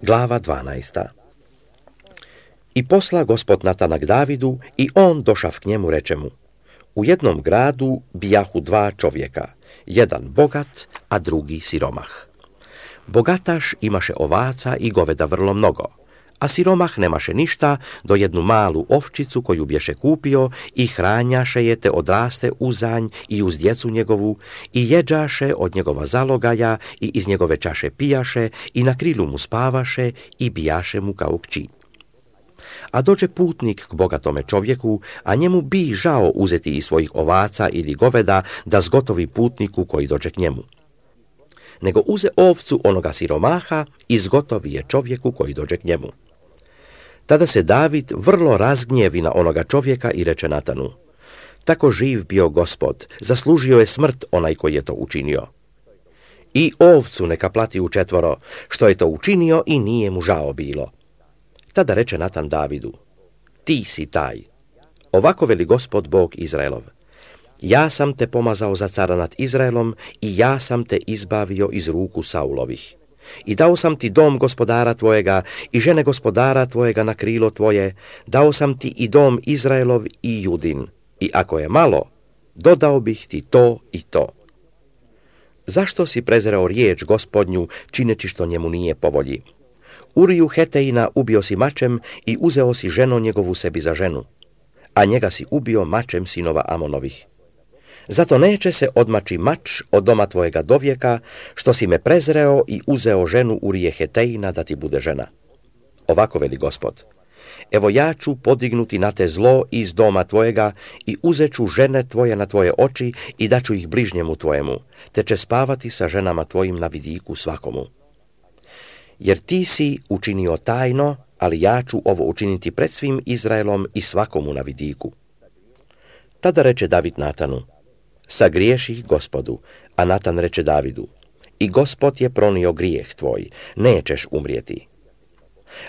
Glava 12. I posla Gospod Natana k Davidu i on došav k njemu, reče mu: U jednom gradu bijahu dva čovjeka, jedan bogat, a drugi siromah. Bogataš imaše ovaca i goveda vrlo mnogo, a siromah nemaše ništa do jednu malu ovčicu koju bješe kupio i hranjaše je te odraste uzanj i uz djecu njegovu i jeđaše od njegova zalogaja i iz njegove čaše pijaše i na krilu mu spavaše i bijaše mu kao kći. A dođe putnik k bogatome čovjeku, a njemu bi žao uzeti iz svojih ovaca ili goveda da zgotovi putniku koji dođe k njemu. Nego uze ovcu onoga siromaha i zgotovi je čovjeku koji dođe k njemu. Tada se David vrlo razgnjevi na onoga čovjeka i reče Natanu: Tako živ bio Gospod, zaslužio je smrt onaj koji je to učinio. I ovcu neka plati u 4, što je to učinio i nije mu žao bilo. Tada reče Natan Davidu: Ti si taj. Ovako veli Gospod Bog Izraelov: Ja sam te pomazao za cara nad Izraelom i ja sam te izbavio iz ruku Saulovih. I dao sam ti dom gospodara tvojega i žene gospodara tvojega na krilo tvoje, dao sam ti i dom Izraelov i Judin. I ako je malo, dodao bih ti to i to. Zašto si prezreo riječ Gospodnju, čineći što njemu nije po volji? Uriju Hetejina ubio si mačem i uzeo si ženu njegovu sebi za ženu, a njega si ubio mačem sinova Amonovih. Zato neće se odmaći mač od doma tvojega dovijeka, što si me prezreo i uzeo ženu Urije Hetejina da ti bude žena. Ovako veli Gospod: Evo ja ću podignuti na te zlo iz doma tvojega i uzet ću žene tvoje na tvoje oči i daću ih bližnjemu tvojemu, te će spavati sa ženama tvojim na vidiku svakomu. Jer ti si učinio tajno, ali ja ću ovo učiniti pred svim Izraelom i svakomu na vidiku. Tada reče David Natanu: Sagriješih Gospodu, a Natan reče Davidu: I Gospod je pronio grijeh tvoj, nećeš umrijeti.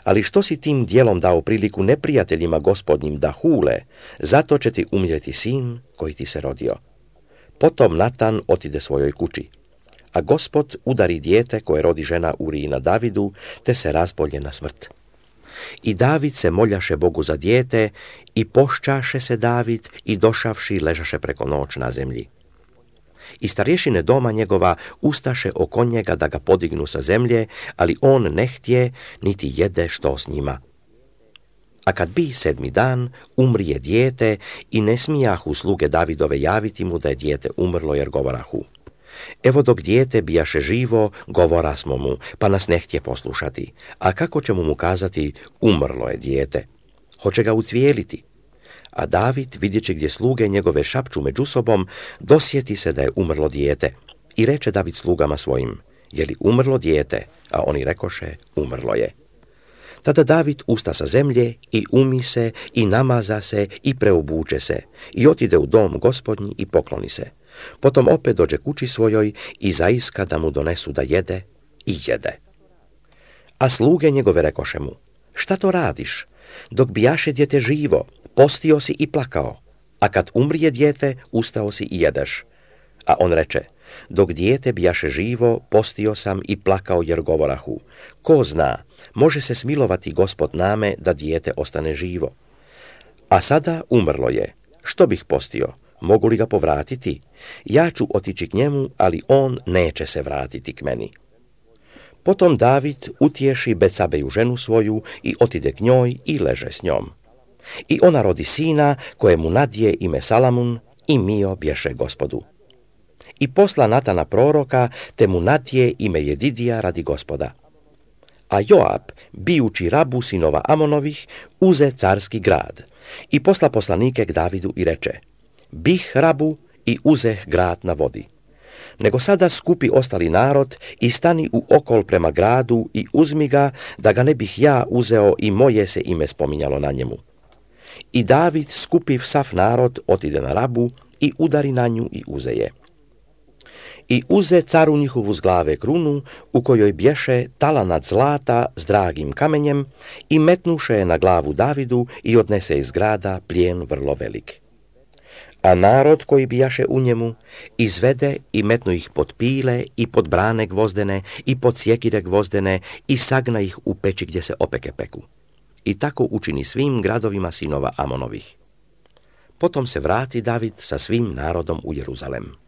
Ali što si tim dijelom dao priliku neprijateljima Gospodnjim da hule, zato će ti umrijeti sin koji ti se rodio. Potom Natan otide svojoj kući, a Gospod udari dijete koje rodi žena Urijina Davidu, te se razbolje na smrt. I David se moljaše Bogu za dijete i pošćaše se David i došavši ležaše preko noć na zemlji. I starješine doma njegova ustaše oko njega da ga podignu sa zemlje, ali on ne htje, niti jede što s njima. A kad bi 7. dan, umrije dijete i ne smijahu sluge Davidove javiti mu da je dijete umrlo, jer govorahu: Evo dok dijete bijaše živo, govora smo mu, pa nas ne htje poslušati. A kako ćemo mu kazati: umrlo je dijete? Hoće ga ucvijeliti. A David, vidjeći gdje sluge njegove šapču među sobom, dosjeti se da je umrlo dijete. I reče David slugama svojim: Je li umrlo dijete? A oni rekoše: Umrlo je. Tada David usta sa zemlje i umi se i namaza se i preobuče se i otide u dom Gospodnji i pokloni se. Potom opet dođe kući svojoj i zaiska da mu donesu da jede i jede. A sluge njegove rekoše mu: Šta to radiš? Dok bijaše dijete živo, postio si i plakao, a kad umrije dijete, ustao si i jedeš. A on reče: Dok dijete bijaše živo, postio sam i plakao, jer govorahu: Ko zna, može se smilovati Gospod name da dijete ostane živo. A sada umrlo je, što bih postio? Mogu li ga povratiti? Ja ću otići k njemu, ali on neće se vratiti k meni. Potom David utješi Betsabeju ženu svoju i otide k njoj i leže s njom. I ona rodi sina, kojemu nadje ime Salamun, i mio bješe Gospodu. I posla Natana proroka, te mu nadje ime Jedidija radi Gospoda. A Joab, bijući Rabu sinova Amonovih, uze carski grad i posla poslanike k Davidu i reče: Bih Rabu i uzeh grad na vodi. Nego sada skupi ostali narod i stani u okol prema gradu i uzmi ga, da ga ne bih ja uzeo i moje se ime spominjalo na njemu. I David, skupiv sav narod, otide na Rabu i udari na nju i uze je. I uze caru njihovu z glave krunu, u kojoj bješe talanat zlata s dragim kamenjem, i metnuše je na glavu Davidu i odnese iz grada plijen vrlo velik. A narod koji bijaše u njemu izvede i metnu ih pod pile i pod brane gvozdene i pod sjekire gvozdene i sagna ih u peći gdje se opeke peku. I tako učini svim gradovima sinova Amonovih. Potom se vrati David sa svim narodom u Jeruzalem.